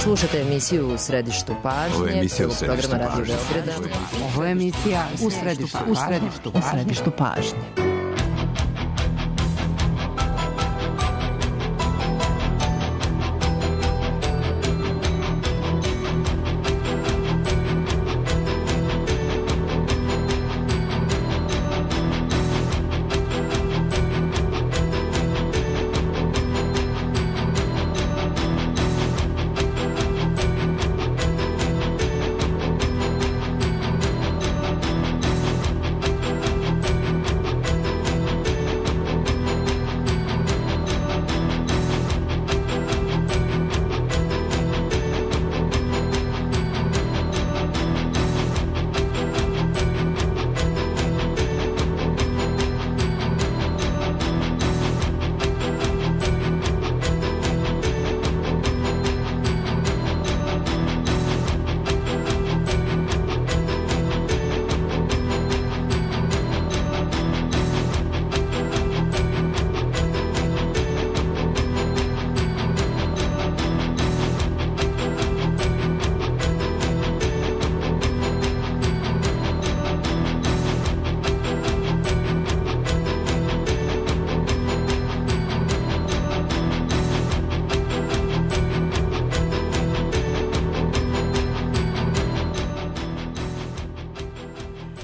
Slušate emisiju U središtu pažnje. Ovo je emisija U središtu pažnje. Ovo je emisija U središtu pažnje.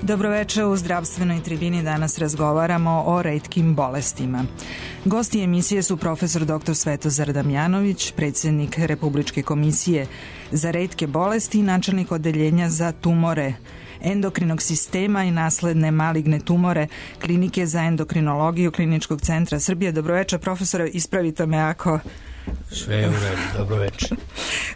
Dobroveče, u zdravstvenoj tribini danas razgovaramo o retkim bolestima. Gosti emisije su profesor dr. Svetozar Damjanović, predsjednik Republičke komisije za retke bolesti i načelnik odeljenja za tumore endokrinog sistema i nasledne maligne tumore Klinike za endokrinologiju Kliničkog centra Srbije. Dobroveče, profesore, ispravite me ako... Sve je u redu, dobroveče.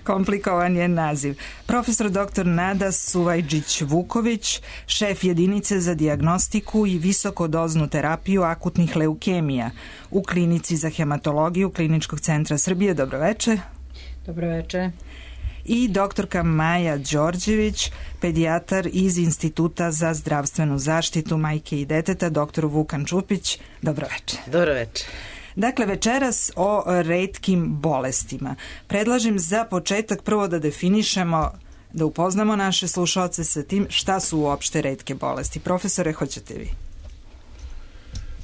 Komplikovan je naziv. Profesor dr. Nada Suvajđić-Vuković, šef jedinice za dijagnostiku i visokodoznu terapiju akutnih leukemija u Klinici za hematologiju Kliničkog centra Srbije. Dobroveče. Dobroveče. I doktorka Maja Đorđević, pedijatar iz Instituta za zdravstvenu zaštitu majke i deteta, doktor Vukan Čupić. Dobroveče. Dobroveče. Dakle, večeras o retkim bolestima. Predlažem za početak prvo da definišemo, da upoznamo naše slušaoce sa tim šta su uopšte retke bolesti. Profesore, hoćete vi?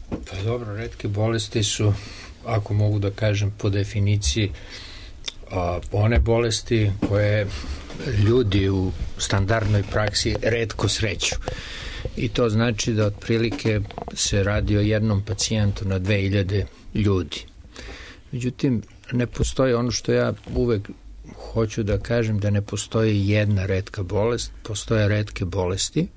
Pa dobro, retke bolesti su, ako mogu da kažem po definiciji, one bolesti koje ljudi u standardnoj praksi retko sreću. I to znači da otprilike se radi o jednom pacijentu na 2000 ljudi. Međutim, ne postoji ono što ja uvek hoću da kažem, da ne postoji jedna retka bolest, postoje retke bolesti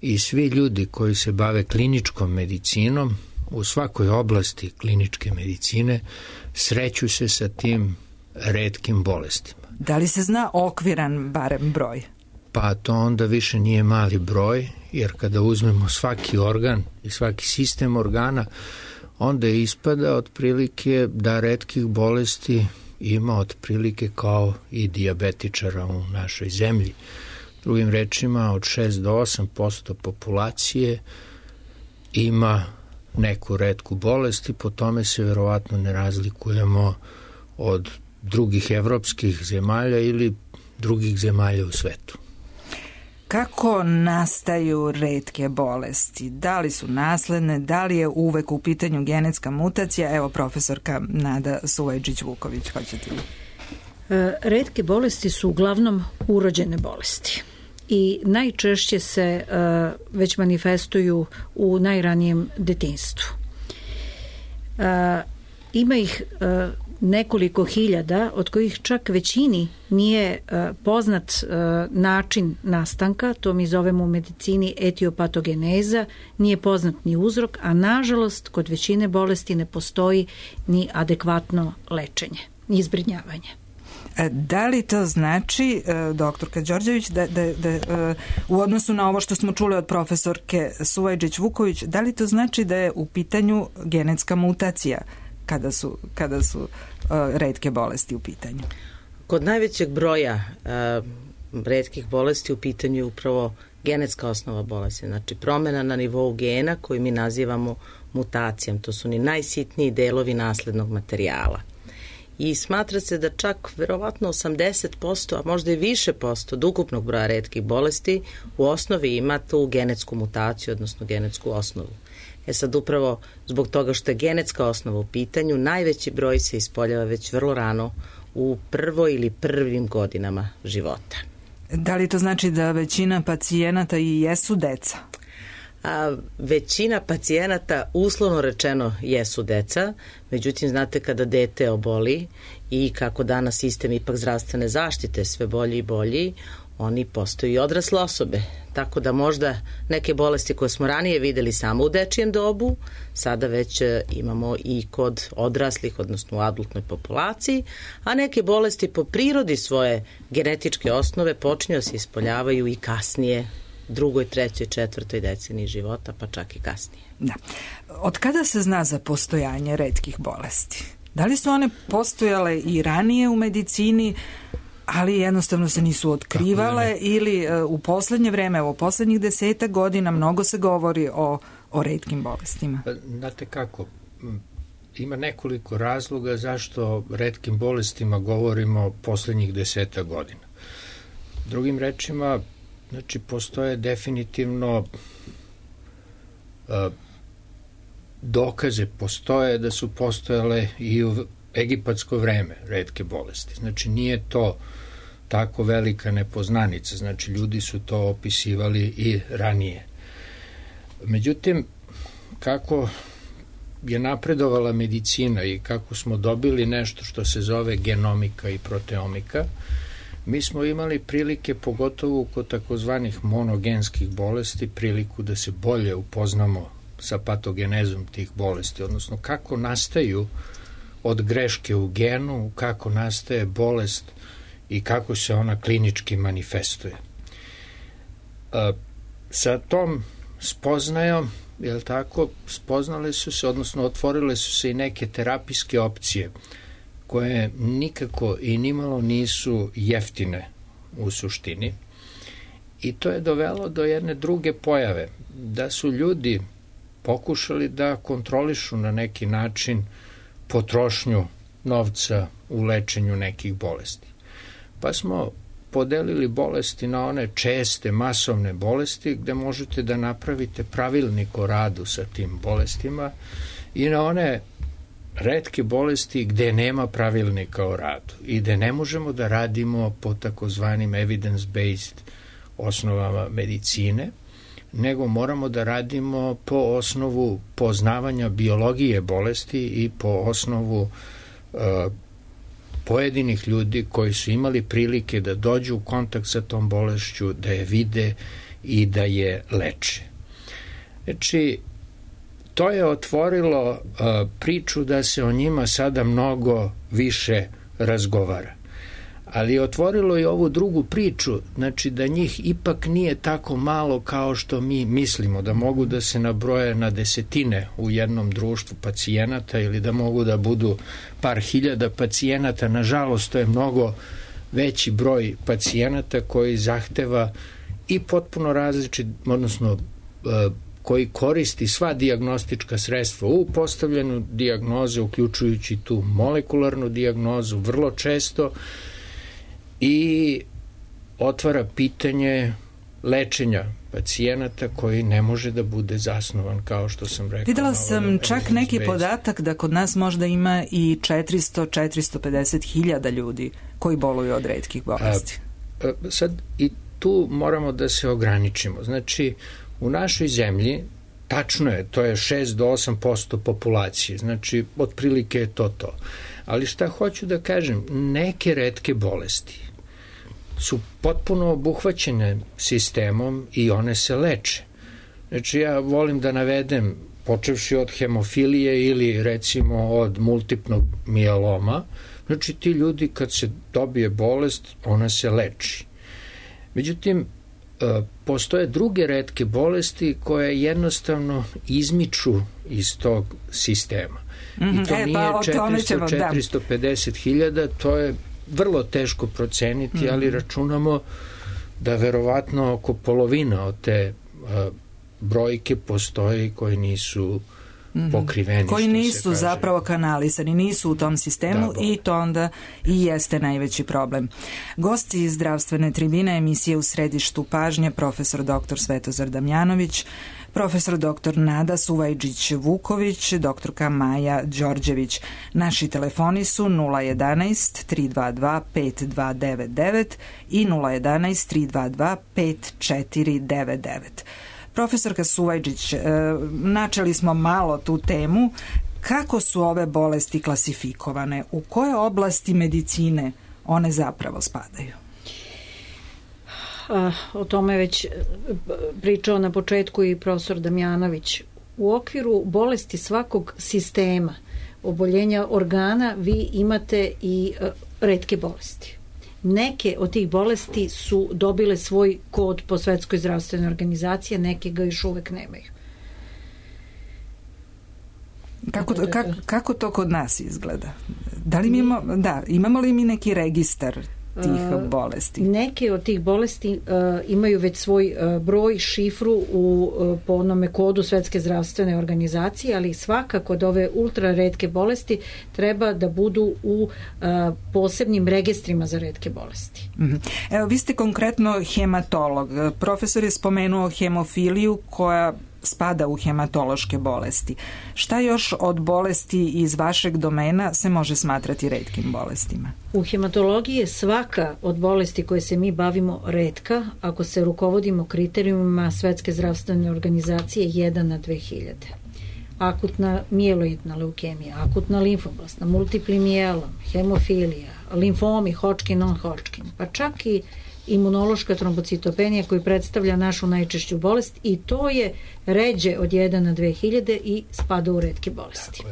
i svi ljudi koji se bave kliničkom medicinom u svakoj oblasti kliničke medicine sreću se sa tim retkim bolestima. Da li se zna okviran barem broj? Pa to onda više nije mali broj, jer kada uzmemo svaki organ i svaki sistem organa, onda ispada otprilike da retkih bolesti ima otprilike kao i dijabetičara u našoj zemlji. Drugim rečima, od 6 do 8% populacije ima neku retku bolest i po tome se verovatno ne razlikujemo od drugih evropskih zemalja ili drugih zemalja u svetu. Kako nastaju retke bolesti? Da li su nasledne? Da li je uvek u pitanju genetska mutacija? Evo, profesorka Nada Suvajđić-Vuković, hoćete li? Retke bolesti su uglavnom urođene bolesti i najčešće se već manifestuju u najranijem detinjstvu. Ima ih nekoliko hiljada, od kojih čak većini nije poznat način nastanka, to mi zovemo u medicini etiopatogeneza, nije poznat ni uzrok, a nažalost kod većine bolesti ne postoji ni adekvatno lečenje, ni zbrinjavanje. Da li to znači, doktorka Đorđević, da u odnosu na ovo što smo čuli od profesorke Suvajđić-Vuković, da li to znači da je u pitanju genetska mutacija kada su retke bolesti u pitanju? Kod najvećeg broja retkih bolesti u pitanju je upravo genetska osnova bolesti, znači promjena na nivou gena koju mi nazivamo mutacijom. To su ni najsitniji delovi naslednog materijala. i smatra se da čak verovatno 80%, a možda i više posto od ukupnog broja retkih bolesti u osnovi ima tu genetsku mutaciju, odnosno genetsku osnovu. Sad upravo zbog toga što je genetska osnova u pitanju, najveći broj se ispoljava već vrlo rano u prvoj ili prvim godinama života. Da li to znači da većina pacijenata i jesu deca? Većina pacijenata, uslovno rečeno, jesu deca, međutim, znate, kada dete oboli i kako danas sistem ipak zdravstvene zaštite sve bolji i bolji, oni postaju i odrasle osobe. Tako da možda neke bolesti koje smo ranije videli samo u dečijem dobu, sada već imamo i kod odraslih, odnosno u adultnoj populaciji, a neke bolesti po prirodi svoje genetičke osnove počinju se ispoljavaju i kasnije, drugoj, trećoj, četvrtoj deceniji života, pa čak i kasnije. Da. Od kada se zna za postojanje retkih bolesti? Da li su one postojale i ranije u medicini, ali jednostavno se nisu otkrivale, ili u poslednje vreme, u poslednjih 10 godina mnogo se govori o retkim bolestima? Znate kako, ima nekoliko razloga zašto o retkim bolestima govorimo poslednjih 10 godina. Drugim rečima, znači, postoje definitivno dokaze, postoje da su postojale i u egipatsko vreme retke bolesti. Znači, nije to tako velika nepoznanica, znači ljudi su to opisivali i ranije. Međutim, kako je napredovala medicina i kako smo dobili nešto što se zove genomika i proteomika, mi smo imali prilike, pogotovo kod takozvanih monogenskih bolesti, priliku da se bolje upoznamo sa patogenezom tih bolesti, odnosno kako nastaju od greške u genu, kako nastaje bolest i kako se ona klinički manifestuje. Sa tom spoznajom, jel tako, spoznale su se, odnosno otvorile su se i neke terapijske opcije koje nikako i nimalo nisu jeftine u suštini. I to je dovelo do jedne druge pojave, da su ljudi pokušali da kontrolišu na neki način potrošnju novca u lečenju nekih bolesti. Pa smo podelili bolesti na one česte, masovne bolesti gde možete da napravite pravilnik o radu sa tim bolestima i na one retke bolesti gde nema pravilnika o radu i gde ne možemo da radimo po takozvanim evidence-based osnovama medicine, nego moramo da radimo po osnovu poznavanja biologije bolesti i po osnovu pojedinih ljudi koji su imali prilike da dođu u kontakt sa tom bolešću, da je vide i da je leče. Znači, to je otvorilo priču da se o njima sada mnogo više razgovara. Ali je otvorilo i ovu drugu priču, znači da njih ipak nije tako malo kao što mi mislimo, da mogu da se nabroje na desetine u jednom društvu pacijenata ili da mogu da budu par hiljada pacijenata. Nažalost, to je mnogo veći broj pacijenata koji zahteva i potpuno različit, odnosno koji koristi sva dijagnostička sredstva u postavljanju dijagnoze, uključujući tu molekularnu dijagnozu vrlo često, i otvara pitanje lečenja pacijenata koji ne može da bude zasnovan, kao što sam rekao. Videla sam čak neki podatak da kod nas možda ima i 400-450 hiljada ljudi koji boluju od retkih bolesti. Sad i tu moramo da se ograničimo. Znači, u našoj zemlji, tačno je, to je 6 do 8% populacije, znači otprilike je to. Ali šta hoću da kažem, neke retke bolesti su potpuno obuhvaćene sistemom i one se leče. Znači, ja volim da navedem, počevši od hemofilije ili recimo od multipnog mijeloma, znači ti ljudi kad se dobije bolest, ona se leči. Međutim, postoje druge retke bolesti koje jednostavno izmiču iz tog sistema. I to nije 450 hiljada, to je vrlo teško proceniti, ali računamo da verovatno oko polovina od te brojke postoji koji nisu pokriveni. Koji nisu zapravo kanalisani, nisu u tom sistemu i to onda i jeste najveći problem. Gosti iz zdravstvene tribine emisije U središtu pažnje, profesor dr. Svetozar Damjanović, profesor dr. Nada Suvajđić-Vuković, doktorka Maja Đorđević. Naši telefoni su 011 322 5299 i 011 322 5499. Profesorka Suvajđić, načeli smo malo tu temu. Kako su ove bolesti klasifikovane? U koje oblasti medicine one zapravo spadaju? O tome već pričao na početku i profesor Damjanović. U okviru bolesti svakog sistema oboljenja organa vi imate i retke bolesti. Neke od tih bolesti su dobile svoj kod po Svetskoj zdravstvenoj organizaciji, neke ga još uvek nemaju. Kako to kod nas izgleda? Da li imamo li mi neki registar tih bolesti? Neke od tih bolesti imaju već svoj broj, šifru po onome kodu Svetske zdravstvene organizacije, ali svakako od ove ultra retke bolesti treba da budu u posebnim registrima za retke bolesti. Evo, vi ste konkretno hematolog. Profesor je spomenuo hemofiliju koja spada u hematološke bolesti. Šta još od bolesti iz vašeg domena se može smatrati retkim bolestima? U hematologiji je svaka od bolesti koje se mi bavimo retka ako se rukovodimo kriterijumima Svetske zdravstvene organizacije 1 na 2000. Akutna mijeloidna leukemija, akutna limfoblastna, multipli mijelom, hemofilija, limfomi, Hodgkin, non-Hodgkin, pa čak i imunološka trombocitopenija koji predstavlja našu najčešću bolest i to je ređe od 1 na 2000 i spada u retke bolesti.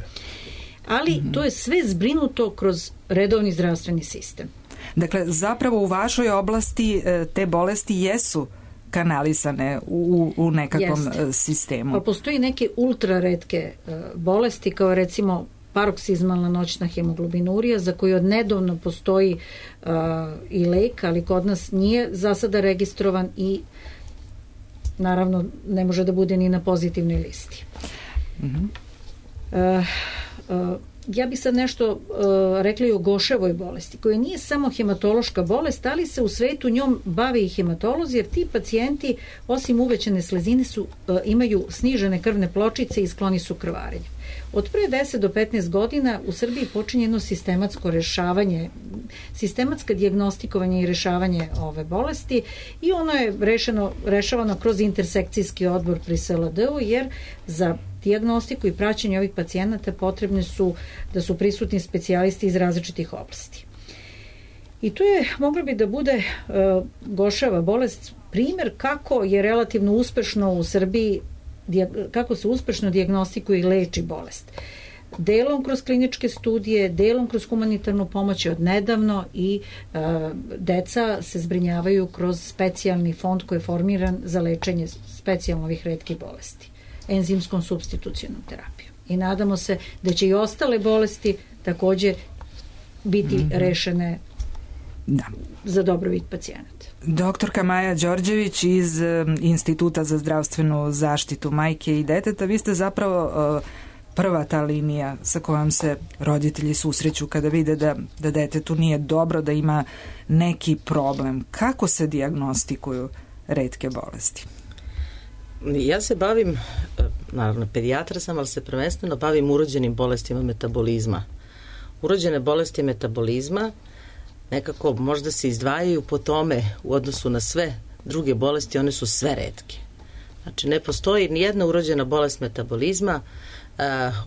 Ali to je sve zbrinuto kroz redovni zdravstveni sistem. Dakle, zapravo u vašoj oblasti te bolesti jesu kanalisane u nekakvom sistemu. Pa postoji neke ultra retke bolesti kao recimo paroksizmalna noćna hemoglobinurija za koju odnedavno postoji i lek, ali kod nas nije za sada registrovan i naravno ne može da bude ni na pozitivnoj listi. Ja bih sad nešto rekla i o Goševoj bolesti, koja nije samo hematološka bolest, ali se u svetu njom bave i hematolozi, jer ti pacijenti, osim uvećane slezine, imaju snižene krvne pločice i skloni su krvarenju. Od pre 10 do 15 godina u Srbiji počinje jedno sistematsko rešavanje, sistematsko dijagnostikovanje i rešavanje ove bolesti i ono je rešavano kroz intersekcijski odbor pri SLD-u, jer za dijagnostiku i praćenje ovih pacijenata potrebne su da su prisutni specijalisti iz različitih oblasti. I to je, mogla bi da bude Goševa bolest, primjer kako je relativno uspešno u Srbiji, kako se uspešno dijagnostikuje i leči bolest. Delom kroz kliničke studije, delom kroz humanitarnu pomoć od nedavno i deca se zbrinjavaju kroz specijalni fond koji je formiran za lečenje specijalno ovih retkih bolesti, enzimskom supstitucionom terapijom. I nadamo se da će i ostale bolesti takođe biti rešene za dobrobit pacijenata. Doktorka Maja Đorđević iz Instituta za zdravstvenu zaštitu majke i deteta, vi ste zapravo prva ta linija sa kojom se roditelji susreću kada vide da detetu nije dobro, da ima neki problem. Kako se dijagnostikuju retke bolesti? Ja se bavim, naravno pedijatra sam, ali se prvenstveno bavim urođenim bolestima metabolizma. Urođene bolesti metabolizma nekako možda se izdvajaju po tome u odnosu na sve druge bolesti, one su sve retke. Znači ne postoji nijedna urođena bolest metabolizma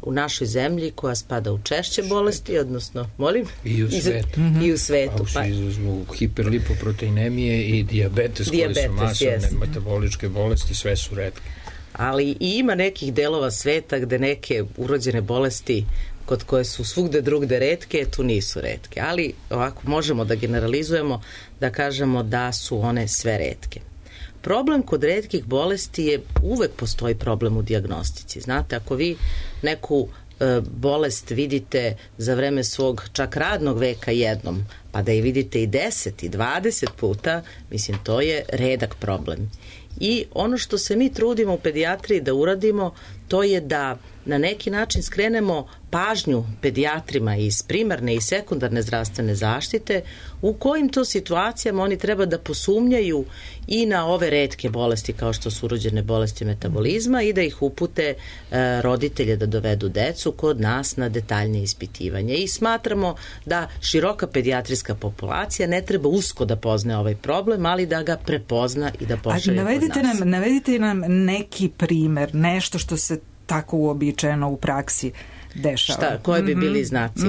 u našoj zemlji koja spada u češće bolesti, odnosno, molim? I u svetu. I u svetu. A u hiperlipoproteinemije i dijabetes koji su masovne metaboličke bolesti, sve su retke. Ali i ima nekih delova sveta gde neke urođene bolesti kod koje su svugde drugde retke, tu nisu retke. Ali ovako možemo da generalizujemo, da kažemo da su one sve retke. Problem kod retkih bolesti je, uvek postoji problem u dijagnostici. Znate, ako vi neku bolest vidite za vreme svog čak radnog veka jednom, pa da je vidite i 10 i 20 puta, mislim, to je redak problem. I ono što se mi trudimo u pedijatriji da uradimo, to je da na neki način skrenemo pažnju pedijatrima iz primarne i sekundarne zdravstvene zaštite u kojim to situacijama oni treba da posumnjaju i na ove retke bolesti kao što su urođene bolesti metabolizma i da ih upute roditelje da dovedu decu kod nas na detaljnije ispitivanje. I smatramo da široka pedijatrijska populacija ne treba usko da pozna ovaj problem, ali da ga prepozna i da pošalje kod nas. Navedite nam neki primer, nešto što se tako uobičajeno u praksi dešava. Koje bi bili znaci?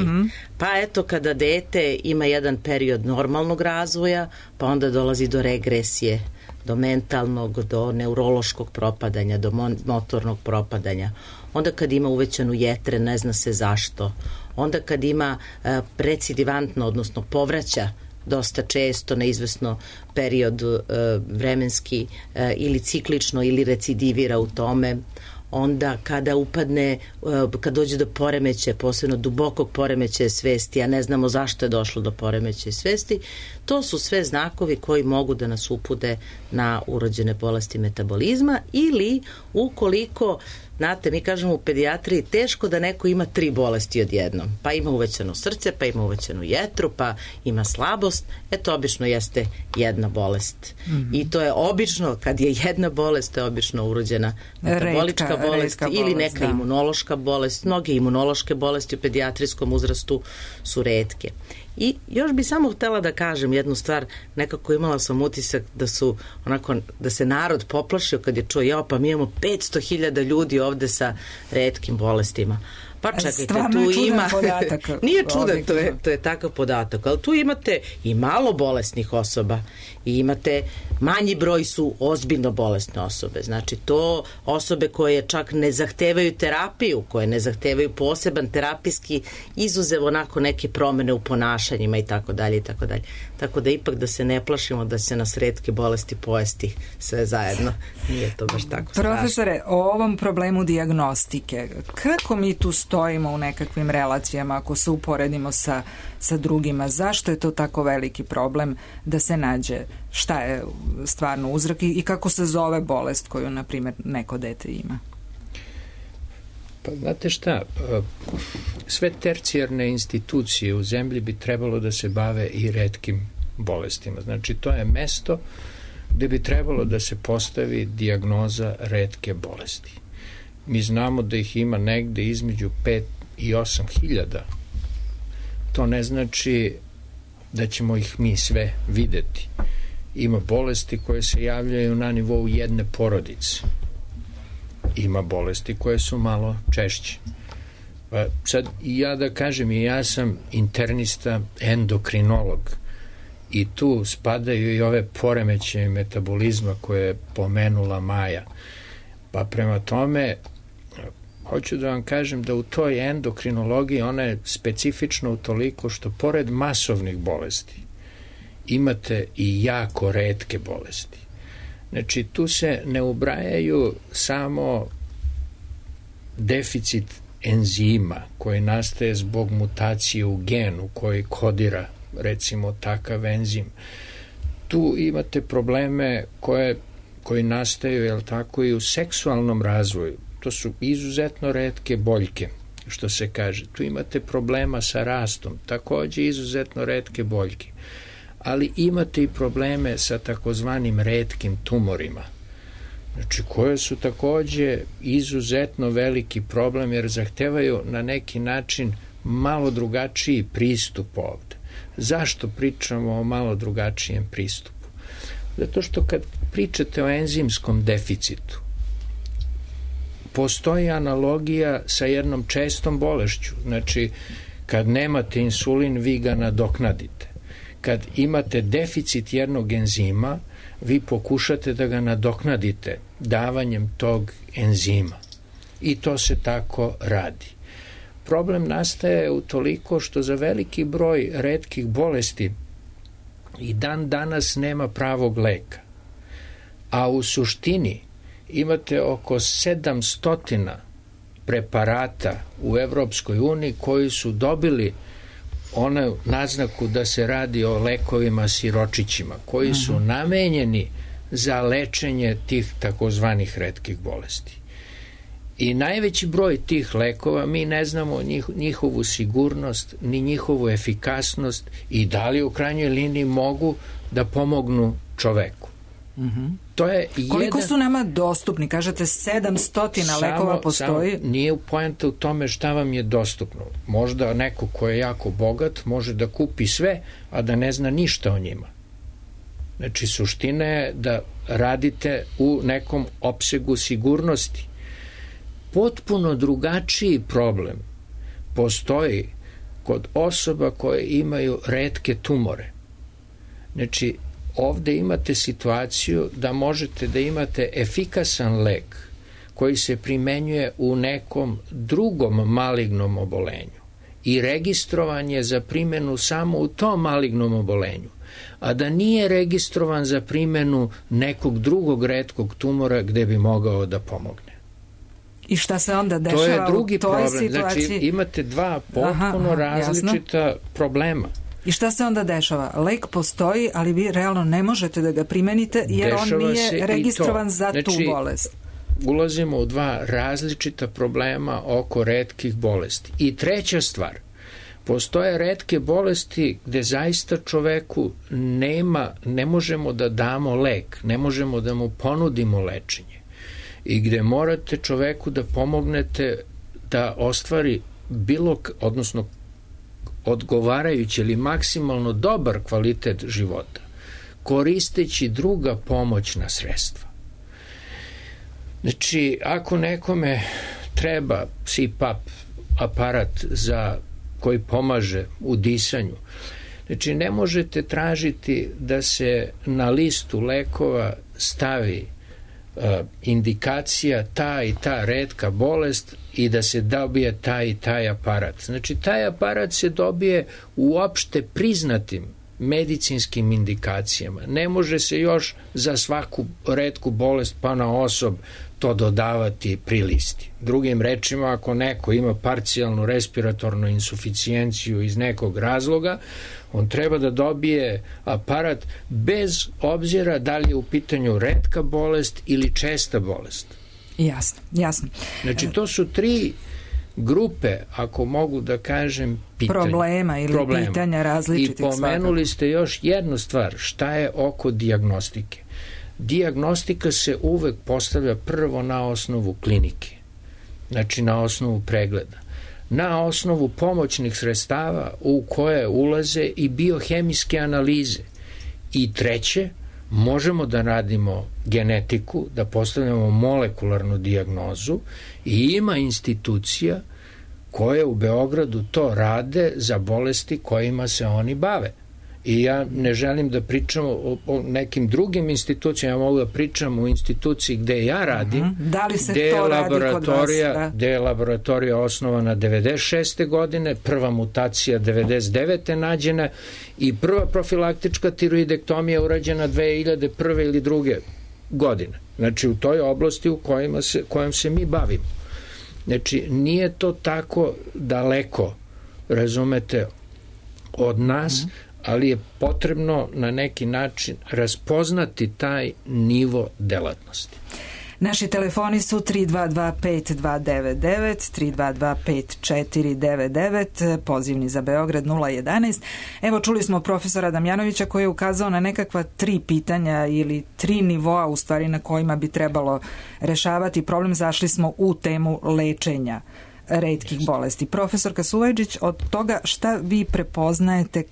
Pa eto, kada dete ima jedan period normalnog razvoja, pa onda dolazi do regresije, do mentalnog, do neurološkog propadanja, do motornog propadanja. Onda kad ima uvećanu jetre, ne zna se zašto. Onda kad ima recidivantno, odnosno povraća dosta često na izvesno period vremenski ili ciklično ili recidivira u tome. Onda kada upadne, kad dođe do poremećaja, posebno dubokog poremećaja svesti, a ne znamo zašto je došlo do poremećaja svesti, to su sve znakovi koji mogu da nas upute na urođene bolesti metabolizma ili ukoliko, znate, mi kažemo u pedijatriji teško da neko ima 3 bolesti odjednom. Pa ima uvećano srce, pa ima uvećanu jetru, pa ima slabost. To obično jeste jedna bolest. I to je obično, kad je jedna bolest, to je obično urođena metabolička bolest ili neka imunološka bolest. Mnoge imunološke bolesti u pedijatrijskom uzrastu su retke. I još bi samo htela da kažem jednu stvar, nekako imala sam utisak da su onako, da se narod poplašio kad je čuo, pa mi imamo 500.000 ljudi ovde sa retkim bolestima. Pa čekajte, tu ima... Podatak, nije čudan, to je takav podatak, ali tu imate i malo bolesnih osoba i imate manji broj su ozbiljno bolesne osobe. Znači, to osobe koje čak ne zahtevaju terapiju, koje ne zahtevaju poseban terapijski izuzev onako neke promene u ponašanjima i tako dalje i tako dalje. Tako da ipak da se ne plašimo da se nas retke bolesti pojesti sve zajedno. Nije to baš tako strašno. Profesore, o ovom problemu dijagnostike, kako mi tu stojimo u nekakvim relacijama ako se uporedimo sa drugima? Zašto je to tako veliki problem da se nađe šta je stvarno uzrok i kako se zove bolest koju, na primjer, neko dete ima? Pa znate šta, sve tercijarne institucije u zemlji bi trebalo da se bave i retkim bolestima. Znači, to je mesto gde bi trebalo da se postavi dijagnoza retke bolesti. Mi znamo da ih ima negde između 5 i 8 hiljada. To ne znači da ćemo ih mi sve videti. Ima bolesti koje se javljaju na nivou jedne porodice. Ima bolesti koje su malo češće. Pa sad ja da kažem, ja sam internista endokrinolog i tu spadaju i ove poremećaje metabolizma koje je pomenula Maja. Pa prema tome hoću da vam kažem da u toj endokrinologiji ona je specifična utoliko što pored masovnih bolesti imate i jako retke bolesti. Znači, tu se ne ubrajaju samo deficit enzima koji nastaje zbog mutacije u genu koji kodira, recimo, takav enzim. Tu imate probleme koji nastaju, jel tako, i u seksualnom razvoju. To su izuzetno retke boljke, što se kaže. Tu imate problema sa rastom, takođe izuzetno retke boljke. Ali imate i probleme sa takozvanim retkim tumorima, znači koje su takođe izuzetno veliki problem jer zahtevaju na neki način malo drugačiji pristup ovde. Zašto pričamo o malo drugačijem pristupu? Zato što kad pričate o enzimskom deficitu, postoji analogija sa jednom čestom bolešću. Znači, kad nemate insulin, vi ga nadoknadite. Kad imate deficit jednog enzima, vi pokušate da ga nadoknadite davanjem tog enzima. I to se tako radi. Problem nastaje utoliko što za veliki broj retkih bolesti i dan danas nema pravog leka. A u suštini imate oko 700 preparata u Evropskoj uniji koji su dobili onu naznaku da se radi o lekovima siročićima, koji su namenjeni za lečenje tih takozvanih retkih bolesti. I najveći broj tih lekova, mi ne znamo njihovu sigurnost, ni njihovu efikasnost i da li u krajnjoj liniji mogu da pomognu čoveku. To je koliko su nama dostupni? Kažete 700 lekova postoji? Nije poenta u tome šta vam je dostupno. Možda neko ko je jako bogat može da kupi sve, a da ne zna ništa o njima. Znači, suština je da radite u nekom opsegu sigurnosti. Potpuno drugačiji problem postoji kod osoba koje imaju retke tumore. Znači, ovde imate situaciju da možete da imate efikasan lek koji se primenjuje u nekom drugom malignom obolenju i registrovan je za primenu samo u tom malignom obolenju, a da nije registrovan za primenu nekog drugog retkog tumora gde bi mogao da pomogne. I šta se onda dešava? To je drugi u toj problem. situaciji? Znači, imate dva potpuno različita problema. I šta se onda dešava? Lek postoji, ali vi realno ne možete da ga primenite jer Dešava on nije registrovan za tu znači, bolest. Ulazimo u dva različita problema oko retkih bolesti. I treća stvar, postoje retke bolesti gde zaista čoveku ne možemo da damo lek, ne možemo da mu ponudimo lečenje i gde morate čoveku da pomognete da ostvari odnosno odgovarajući ili maksimalno dobar kvalitet života, koristeći druga pomoćna sredstva. Znači, ako nekome treba CPAP aparat koji pomaže u disanju, znači ne možete tražiti da se na listu lekova stavi indikacija ta i ta retka bolest i da se dobije taj i taj aparat. Znači, taj aparat se dobije u opšte priznatim medicinskim indikacijama. Ne može se još za svaku retku bolest pa na osob to dodavati pri listi. Drugim rečima, ako neko ima parcijalnu respiratornu insuficijenciju iz nekog razloga, on treba da dobije aparat bez obzira da li je u pitanju retka bolest ili česta bolest. Jasno, jasno. Znači, to su tri grupe, ako mogu da kažem, problema ili pitanja različitih. I pomenuli ste još jednu stvar, šta je oko dijagnostike. Dijagnostika se uvek postavlja prvo na osnovu klinike, znači na osnovu pregleda, na osnovu pomoćnih sredstava u koje ulaze i biohemijske analize. I treće, možemo da radimo genetiku, da postavljamo molekularnu dijagnozu i ima institucija koje u Beogradu to rade za bolesti kojima se oni bave. I ja ne želim da pričam o nekim drugim institucijama, ja mogu da pričam o instituciji gde ja radim, da li se to radi kod vas? Gde je laboratorija osnovana 96. godine, prva mutacija 99. nađena i prva profilaktička tiroidektomija urađena 2001. ili 2. godine. Znači, u toj oblasti kojom se mi bavimo. Znači, nije to tako daleko, razumete, od nas, ali je potrebno na neki način raspoznati taj nivo delatnosti. Naši telefoni su 322-5299, 322-5499, pozivni za Beograd 011. Evo, čuli smo profesora Damjanovića koji je ukazao na nekakva 3 pitanja ili 3 nivoa u stvari na kojima bi trebalo rešavati problem. Zašli smo u temu lečenja retkih bolesti. Profesor Kasuvajđić, od toga šta vi prepoznajete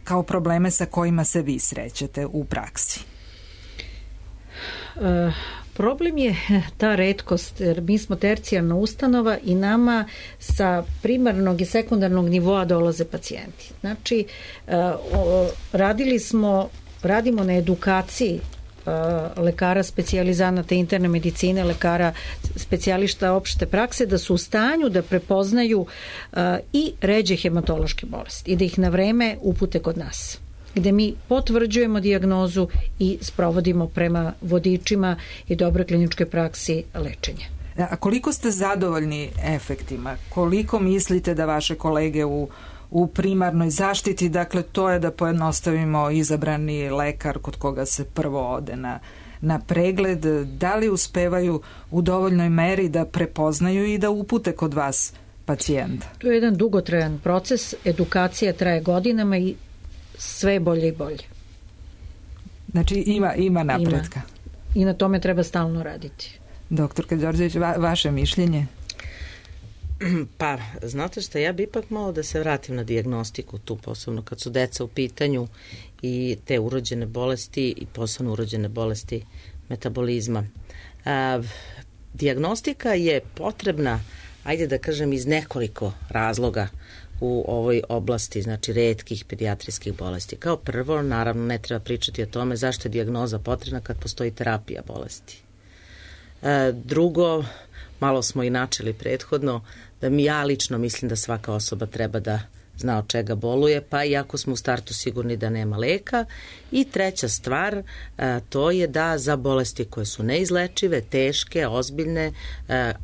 kao probleme sa kojima se vi srećete u praksi? Problem je ta retkost, jer mi smo tercijarna ustanova i nama sa sekundarnog nivoa dolaze pacijenti. Znači, radimo na edukaciji lekara specijalizanata interne medicine, lekara specijališta opšte prakse, da su u stanju da prepoznaju i ređe hematološke bolesti i da ih na vreme upute kod nas, gde mi potvrđujemo dijagnozu i sprovodimo prema vodičima i dobroj kliničkoj praksi lečenje. A koliko ste zadovoljni efektima? Koliko mislite da vaše kolege u primarnoj zaštiti, dakle to je da pojednostavimo izabrani lekar kod koga se prvo ode na pregled, da li uspevaju u dovoljnoj meri da prepoznaju i da upute kod vas pacijenta? To je jedan dugotrajan proces, edukacija traje godinama i sve bolje i bolje. Znači ima napretka. I na tome treba stalno raditi. Doktorka Đorđević, vaše mišljenje? Pa, znate šta, ja bi ipak malo da se vratim na dijagnostiku tu, posebno kad su deca u pitanju i te urođene bolesti i posebno urođene bolesti metabolizma. Dijagnostika je potrebna, ajde da kažem, iz nekoliko razloga u ovoj oblasti, znači retkih pedijatrijskih bolesti. Kao prvo, naravno, ne treba pričati o tome zašto je dijagnoza potrebna kad postoji terapija bolesti. Drugo, malo smo i načeli prethodno, da ja lično mislim da svaka osoba treba da zna od čega boluje, pa iako smo u startu sigurni da nema leka. I treća stvar, to je da za bolesti koje su neizlečive, teške, ozbiljne,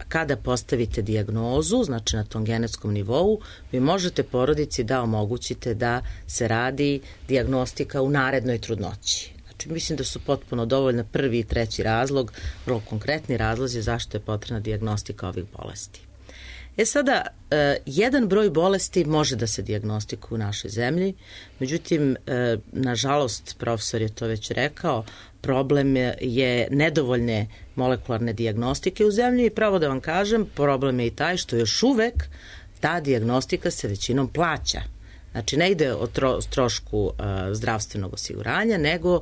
kada postavite dijagnozu, znači na tom genetskom nivou, vi možete porodici da omogućite da se radi dijagnostika u narednoj trudnoći. Znači, mislim da su potpuno dovoljna prvi i treći razlog, vrlo konkretni razlozi zašto je potrebna dijagnostika ovih bolesti. Sada, jedan broj bolesti može da se dijagnostikuje u našoj zemlji, međutim, nažalost, profesor je to već rekao, problem je nedovoljne molekularne dijagnostike u zemlji i pravo da vam kažem, problem je i taj što još uvek ta dijagnostika se većinom plaća. Znači, ne ide o trošku zdravstvenog osiguranja, nego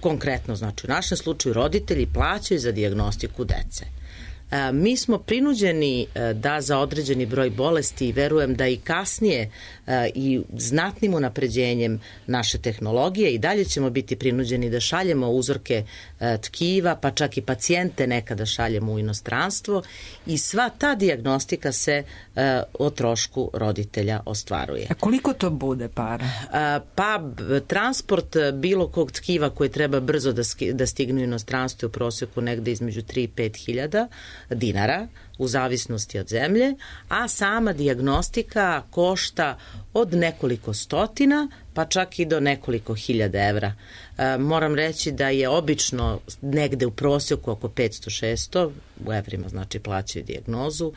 konkretno, znači u našem slučaju roditelji plaćaju za dijagnostiku dece. Mi smo prinuđeni da za određeni broj bolesti i verujem da i kasnije i znatnim unapređenjem naše tehnologije i dalje ćemo biti prinuđeni da šaljemo uzorke tkiva, pa čak i pacijente nekada šaljemo u inostranstvo i sva ta dijagnostika se o trošku roditelja ostvaruje. A koliko to bude para? Pa transport bilo kog tkiva koje treba brzo da stigne u inostranstvo u prosjeku negde između 3 i 5 hiljada dinara u zavisnosti od zemlje, a sama dijagnostika košta od nekoliko stotina pa čak i do nekoliko hiljada evra. Moram reći da je obično negde u prosjeku oko 500-600, u evrima znači plaćaju dijagnozu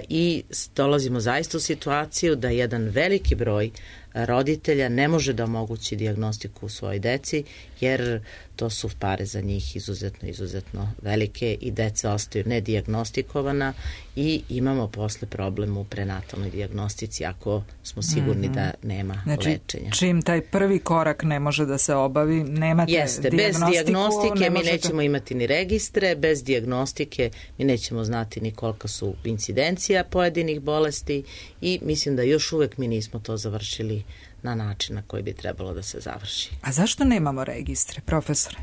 i dolazimo zaista u situaciju da jedan veliki broj roditelja ne može da omogući dijagnostiku u svojoj deci jer to su pare za njih izuzetno velike i deca ostaju nedijagnostikovana i imamo posle problem u prenatalnoj dijagnostici ako smo sigurni da nema lečenja. Čim taj prvi korak ne može da se obavi, nemate dijagnostiku. Bez dijagnostike mi nećemo imati ni registre, bez dijagnostike mi nećemo znati ni kolika su incidencija pojedinih bolesti i mislim da još uvek mi nismo to završili na način na koji bi trebalo da se završi. A zašto nemamo registre, profesore?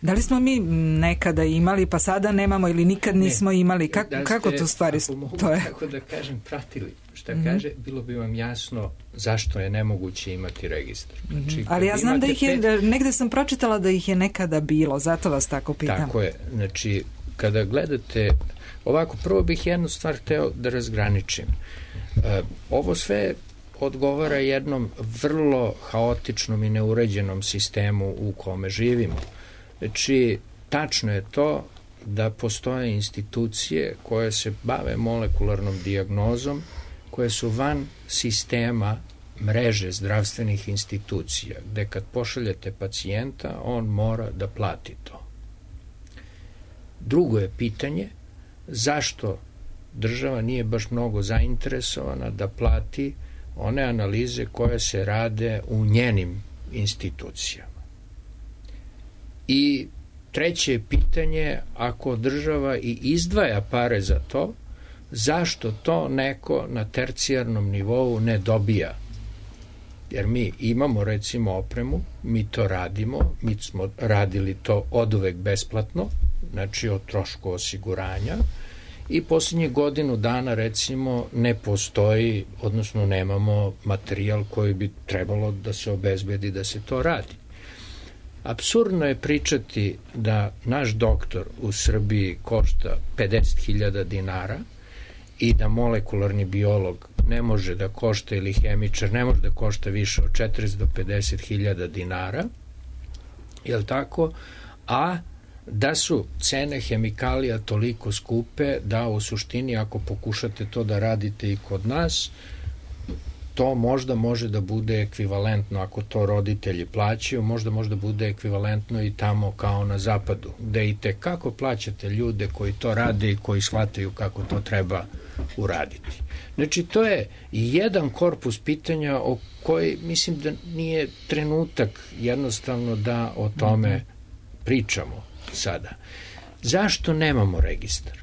Da li smo mi nekada imali, pa sada nemamo ili nikad nismo imali? Kako to stvari to je? Kako da kažem, pratili šta kaže, bilo bi vam jasno zašto je nemoguće imati registar. Znači, ali ja znam da ih je, negde sam pročitala da ih je nekada bilo, zato vas tako pitam. Tako je, znači, kada gledate, ovako, prvo bih jednu stvar hteo da razgraničim. Ovo sve odgovara jednom vrlo haotičnom i neuređenom sistemu u kome živimo. Znači, tačno je to da postoje institucije koje se bave molekularnom dijagnozom, koje su van sistema mreže zdravstvenih institucija, gde kad pošaljete pacijenta, on mora da plati to. Drugo je pitanje, zašto država nije baš mnogo zainteresovana da plati one analize koje se rade u njenim institucijama. I treće je pitanje, ako država i izdvaja pare za to, zašto to neko na tercijarnom nivou ne dobija? Jer mi imamo recimo opremu, mi to radimo, mi smo radili to oduvek besplatno, znači o trošku osiguranja, i posljednjih godinu dana recimo ne postoji, odnosno nemamo materijal koji bi trebalo da se obezbedi da se to radi. Apsurdno je pričati da naš doktor u Srbiji košta 50.000 dinara i da molekularni biolog ne može da košta ili hemičar ne može da košta više od 40 do 50.000 dinara, je li tako? A da su cene hemikalija toliko skupe da u suštini ako pokušate to da radite i kod nas, to možda može da bude ekvivalentno, ako to roditelji plaćaju, možda bude ekvivalentno i tamo kao na zapadu, gde i tekako plaćate ljude koji to rade i koji shvataju kako to treba uraditi. Znači, to je jedan korpus pitanja o koji mislim da nije trenutak jednostavno da o tome pričamo sada. Zašto nemamo registar?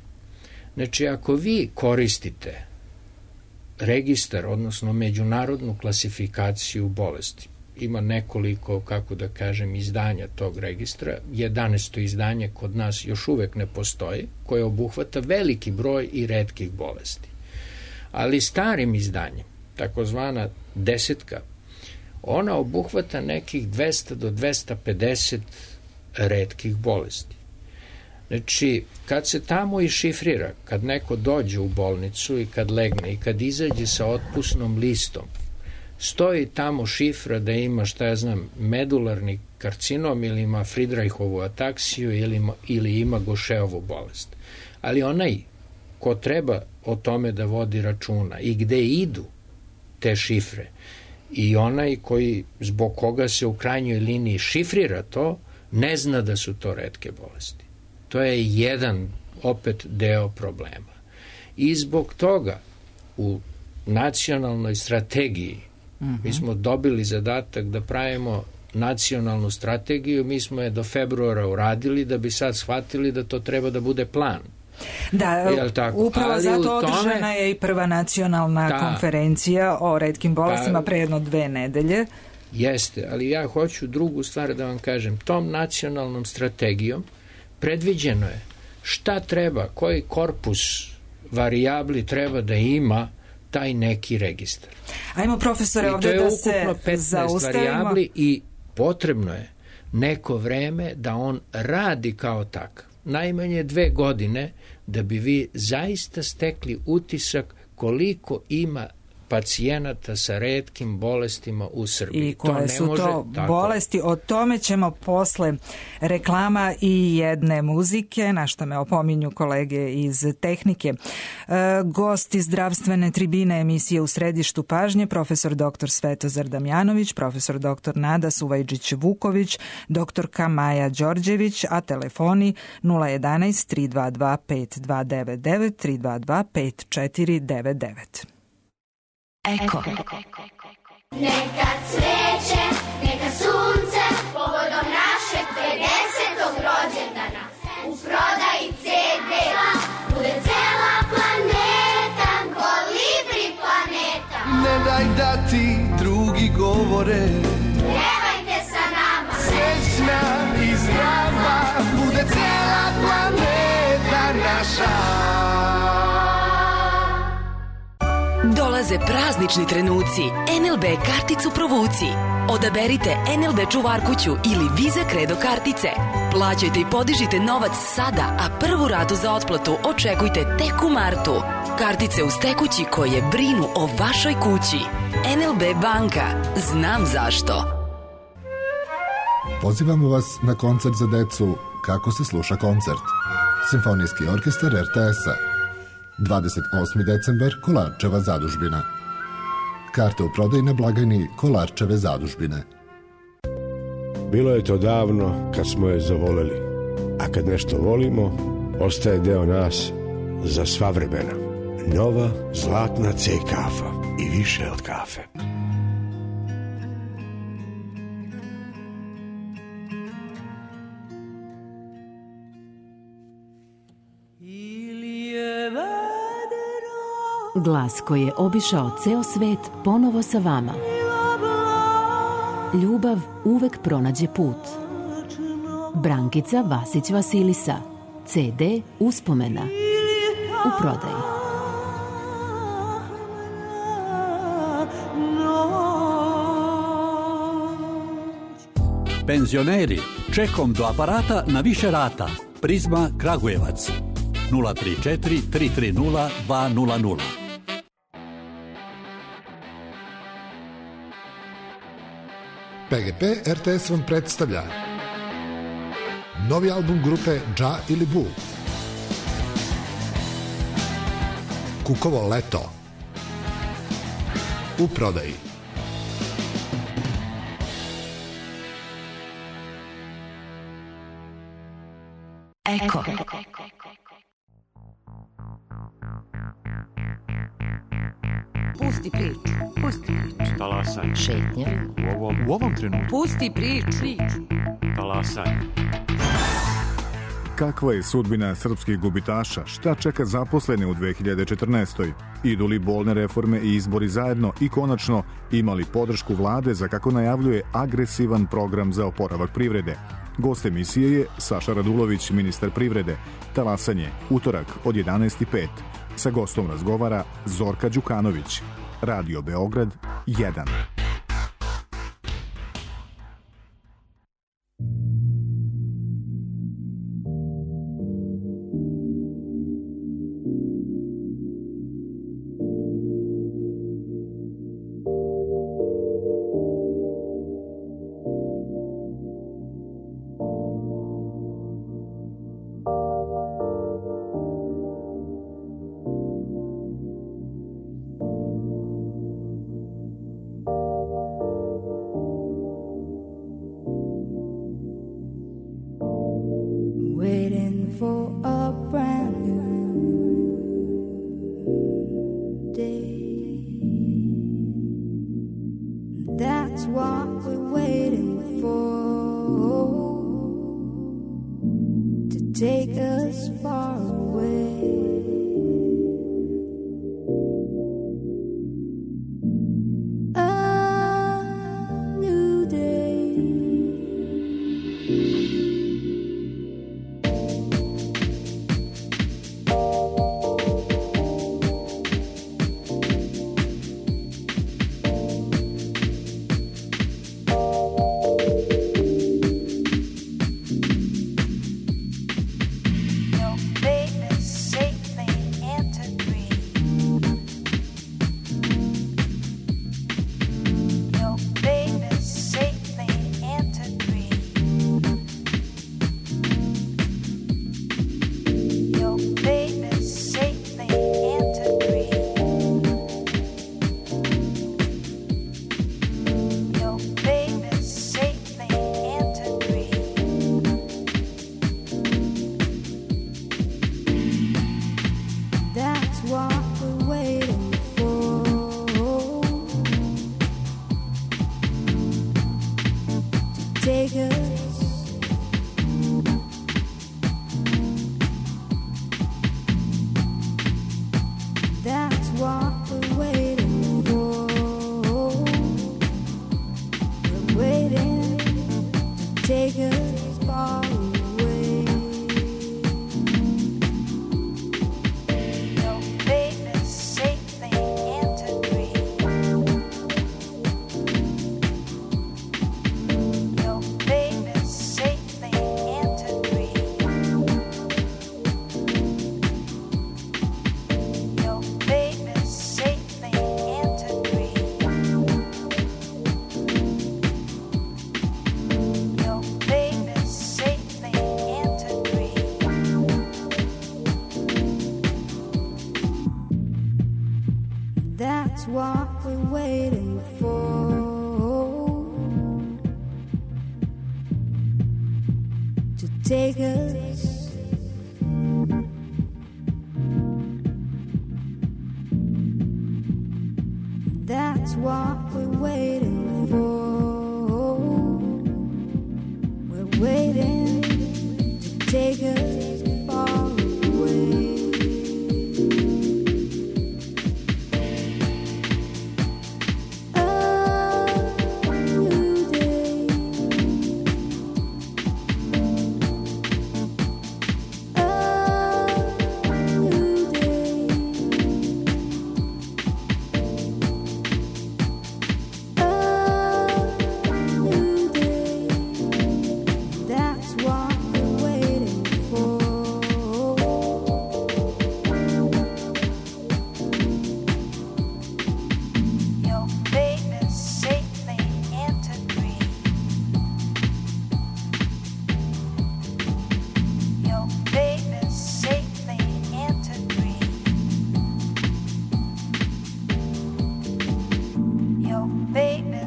Znači, ako vi koristite registar, odnosno međunarodnu klasifikaciju bolesti, ima nekoliko, kako da kažem, izdanja tog registra, 11. izdanje kod nas još uvek ne postoji, koje obuhvata veliki broj i retkih bolesti. Ali starim izdanjem, takozvana 10, ona obuhvata nekih 200 do 250 retkih bolesti. Znači, kad se tamo išifrira, kad neko dođe u bolnicu i kad legne i kad izađe sa otpusnom listom, stoji tamo šifra da ima, šta ja znam, medularni karcinom ili ima Friedreichovu ataksiju ili ima Gošeovu bolest. Ali onaj ko treba o tome da vodi računa i gde idu te šifre i onaj koji zbog koga se u krajnjoj liniji šifrira to, ne zna da su to retke bolesti. To je jedan, opet, deo problema. I zbog toga u nacionalnoj strategiji mi smo dobili zadatak da pravimo nacionalnu strategiju, mi smo je do februara uradili da bi sad shvatili da to treba da bude plan. Da, upravo zato održana je i prva nacionalna konferencija o retkim bolestima pre jedno 2 nedelje. Jeste, ali ja hoću drugu stvar da vam kažem. Tom nacionalnom strategijom predviđeno je šta treba, koji korpus varijabli treba da ima taj neki registar. Ajmo, profesore, ovdje da se zaustavimo. I to je ukupno 15 varijabli i potrebno je neko vreme da on radi kao takav. Najmanje 2 godine da bi vi zaista stekli utisak koliko ima pacijenata sa retkim bolestima u Srbiji. I koje su to bolesti, o tome ćemo posle reklama i jedne muzike, na što me opominju kolege iz tehnike. Gosti zdravstvene tribine emisije U središtu pažnje, profesor dr. Svetozar Damjanović, profesor dr. Nada Suvajđić-Vuković, doktorka Maja Đorđević, a telefoni 011 322 5299 322 5499. Eko. Neka cveće, neka sunce, povodom našeg 50. rođendana. U prodaji CD bude cela planeta, Kolibri planeta. Ne daj da ti drugi govore, pevajte sa nama. Srećna i zdrava bude cela planeta naša. Dolaze praznični trenuci. NLB karticu provuci. Odaberite NLB čuvarkuću ili Visa Credo kartice. Plaćajte i podižite novac sada, a prvu ratu za otplatu očekujte tek u martu. Kartice uz tekući koje brinu o vašoj kući. NLB banka. Znam zašto. Pozivamo vas na koncert za decu Kako se sluša koncert. Simfonijski orkestar RTS-a. 28. decembar, Kolarčeva zadužbina. Karte u prodaji na blagajni Kolarčeve zadužbine. Bilo je to davno kad smo je zavoleli, a kad nešto volimo, ostaje deo nas za sva vremena. Nova zlatna C kafa i više od kafe. Glas koji je obišao ceo svet ponovo sa vama. Ljubav uvek pronađe put. Brankica Vasić Vasilisa. CD Uspomena. U prodaji. Penzioneri, čekom do aparata na više rata. Prizma Kragujevac. 034 330 200. PGP RTS vam predstavlja Novi album grupe Dža ili Bu. Kukovo leto. U prodaji. Eko. Pusti priču. Pusti priču. Talasaj. Šetnja. U ovom trenutku. Pusti priču. Talasaj. Kakva je sudbina srpskih gubitaša? Šta čeka zaposlene u 2014. Idu li bolne reforme i izbori zajedno i konačno imali podršku vlade za, kako najavljuje, agresivan program za oporavak privrede? Gost emisije je Saša Radulović, ministar privrede. Talasanje, utorak od 11:05. Sa gostom razgovara Zorka Đukanović. Radio Beograd 1.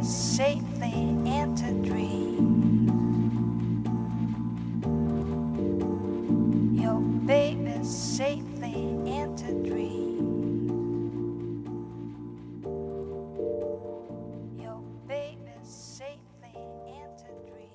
safely into dream. Your baby safely into dream. Your baby safely into dream.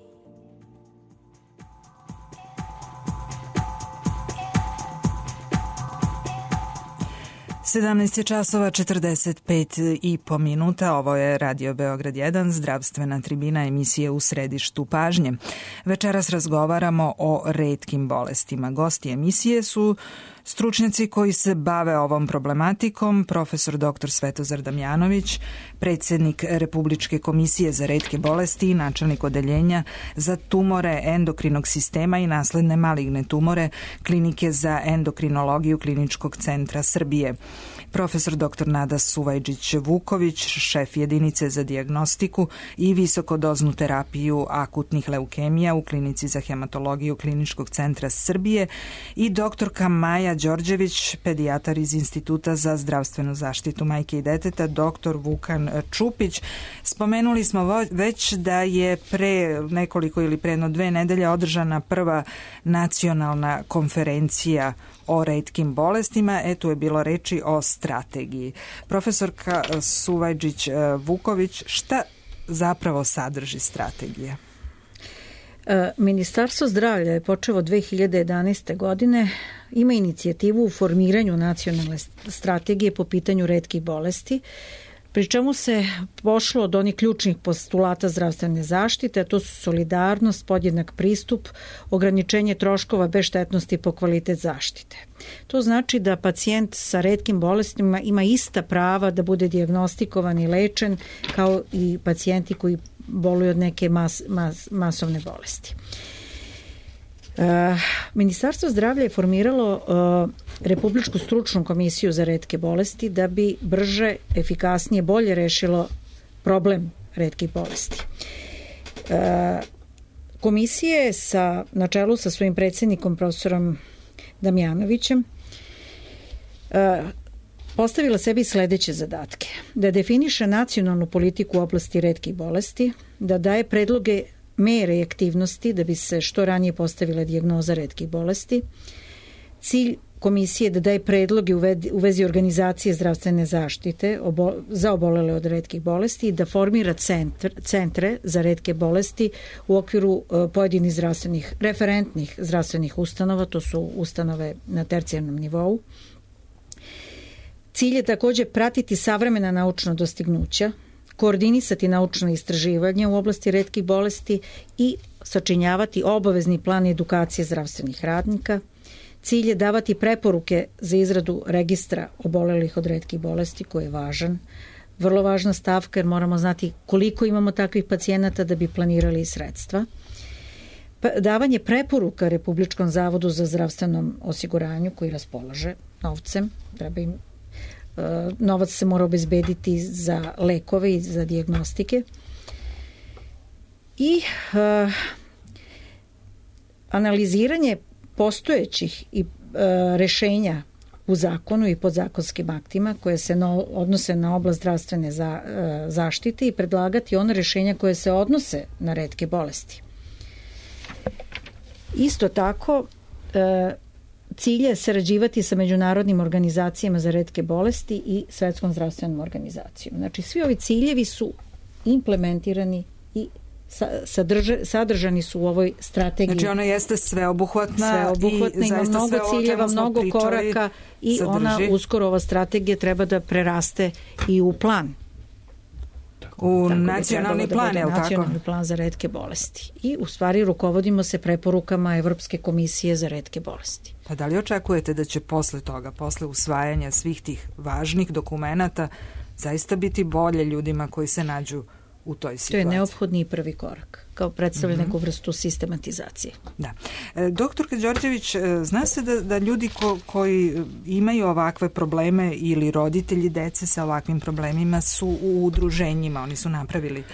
17 časova 45,5 minuta. Ovo je Radio Beograd 1, zdravstvena tribina, emisije U središtu pažnje. Večeras razgovaramo o retkim bolestima. Gosti emisije su stručnjaci koji se bave ovom problematikom, profesor dr. Svetozar Damjanović, predsjednik Republičke komisije za retke bolesti i načelnik odeljenja za tumore endokrinog sistema i nasledne maligne tumore Klinike za endokrinologiju Kliničkog centra Srbije. Profesor dr. Nada Suvajđić-Vuković, šef jedinice za dijagnostiku i visokodoznu terapiju akutnih leukemija u Klinici za hematologiju Kliničkog centra Srbije i doktorka Maja Đorđević, pedijatar iz Instituta za zdravstvenu zaštitu majke i deteta, dr. Vukan Čupić. Spomenuli smo već da je pre nekoliko ili pre jedno 2 nedelje održana prva nacionalna konferencija o retkim bolestima. Tu je bilo reči o strategiji. Profesorka Suvajđić-Vuković, šta zapravo sadrži strategija? Ministarstvo zdravlja je počelo 2011. godine, ima inicijativu u formiranju nacionalne strategije po pitanju retkih bolesti, pri čemu se pošlo od onih ključnih postulata zdravstvene zaštite, a to su solidarnost, podjednak pristup, ograničenje troškova bez štetnosti po kvalitet zaštite. To znači da pacijent sa retkim bolestima ima ista prava da bude dijagnostikovan i lečen kao i pacijenti koji boluju od neke masovne bolesti. Ministarstvo zdravlja je formiralo Republičku stručnu komisiju za retke bolesti da bi brže, efikasnije, bolje rešilo problem retkih bolesti. Komisija je na čelu sa svojim predsjednikom profesorom Damjanovićem postavila sebi sledeće zadatke: da definiše nacionalnu politiku u oblasti retkih bolesti, da daje predloge mere i aktivnosti da bi se što ranije postavila dijagnoza retkih bolesti. Cilj komisije je da daje predloge u vezi organizacije zdravstvene zaštite za obolele od retkih bolesti i da formira centre za retke bolesti u okviru pojedinih referentnih zdravstvenih ustanova, to su ustanove na tercijarnom nivou. Cilj je takođe pratiti savremena naučna dostignuća, koordinisati naučna istraživanja u oblasti retkih bolesti i sačinjavati obavezni plan edukacije zdravstvenih radnika. Cilj je davati preporuke za izradu registra obolelih od retkih bolesti, koji je važan, vrlo važna stavka, jer moramo znati koliko imamo takvih pacijenata da bi planirali sredstva. Davanje preporuka Republičkom zavodu za zdravstvenom osiguranju, koji raspolaže novcem, novac se mora obezbediti za lekove i za dijagnostike, i analiziranje postojećih i rešenja u zakonu i podzakonskim aktima koje se odnose na oblast zdravstvene zaštite i predlagati one rešenja koje se odnose na retke bolesti. Isto tako, cilj je sarađivati sa međunarodnim organizacijama za retke bolesti i Svetskom zdravstvenom organizacijom. Znači, svi ovi ciljevi su implementirani i sadržani su u ovoj strategiji. Znači, ona jeste sveobuhvatna i ima mnogo ciljeva, mnogo koraka i sadrži. Ona uskoro, ova strategija, treba da preraste i u plan. U nacionalni plan, je li tako? Nacionalni plan za retke bolesti. I u stvari rukovodimo se preporukama Evropske komisije za retke bolesti. Pa da li očekujete da će posle toga, posle usvajanja svih tih važnih dokumenata, zaista biti bolje ljudima koji se nađu u toj situaciji? To je neophodni i prvi korak, kao predstavlja neku vrstu sistematizacije. Da. Doktorka Đorđević, zna se da ljudi koji imaju ovakve probleme ili roditelji dece sa ovakvim problemima su u udruženjima, oni su napravili